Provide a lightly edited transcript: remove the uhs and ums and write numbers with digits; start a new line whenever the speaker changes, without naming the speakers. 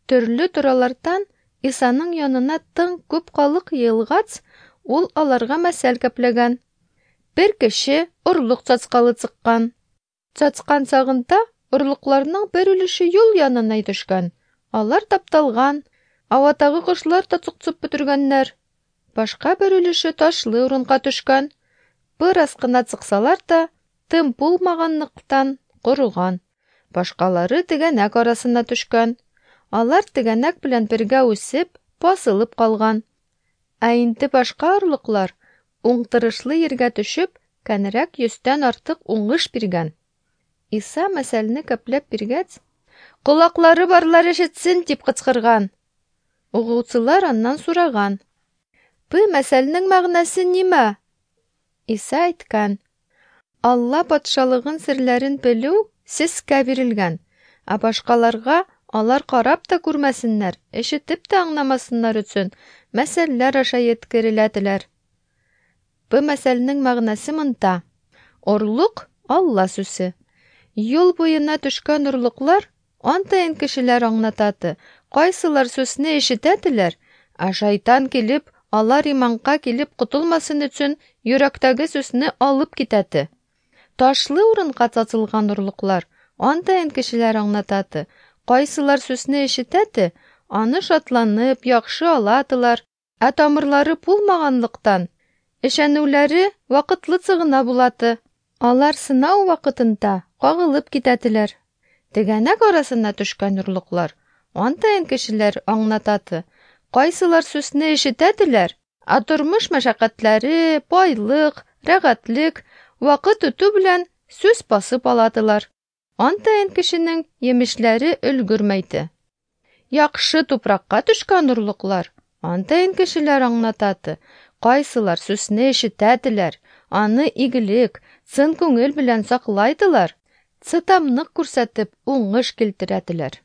Төрле торалардан Исаның янына тың күп халык йыелгац, ул аларга мәсәл кәпләгән. Бер кеше орлык цацкалы цыккан. Цацкан сагында орлыкларның бер өлеше юл янына төшкән. Алар тапталган, аватагы кошлар та цукцып бетергәннәр. Башка бер өлеше ташлы урынга төшкән. Бераз кына цыксалар та, тым булмаганлыктан корыган. Башкалары тегәнәк арасына төшкән. Алар тегәнәк белән бергә үсеп, басылып калган. Ә инде башка орлыклар уңтырышлы ергә төшеп, кәнрәк йөздән артык уңыш биргән. Иса мәсәлне кәпләп биргәч, "Колаклары барлар ишетсен!" дип кычкырган. Угучылар аннан сураган: "Бу мәсәлнең мәгънәсе нимә?" Иса әйткән: "Алла патшалыгын серләрен белү сезгә бирелгән, ә башкаларга алар карап та күрмәсеннәр, ишетеп тә аңламасыннар өчен мәсәлләр аша еткереләделәр." Бу мәсәлнең мәгънәсе монда: орлык Алла сүзе. Юл буена төшкән орлыклар антайын кешеләр аңлатады. Кайсылар сүзне ишетәделәр, ә шайтан килеп, алар иманга килеп котылмасын өчен йөрәктәге сүзне алып китәде. Ташлы урынга цацылган орлыклар антайын кешеләр аңлатады. Кайсылар сүзне ишетәде, аны шатланып, яхшы аладылар, ә тамырлары булмаганлыктан, ишәнүләре вакытлыча гына булады. Алар сынау вакытында кагылып китәделәр. Тегәнәк арасына төшкән орлыклар антайын кешеләр аңлатады. Кайсылар сүзне ишетәделәр, ә тормыш мәшәкатьләре, байлык, рәхәтлек вакыт үтү белән сүз басып аладылар. Антайын кешенең емешләре өлгермәйде. Яхшы тупракка төшкән орлыклар антайын кешеләр аңлатады. Кайсылар сүзне ишетәделәр, аны игелек, чын күңел белән саклайдылар, цытамнык күрсәтеп уңыш килтерәделәр.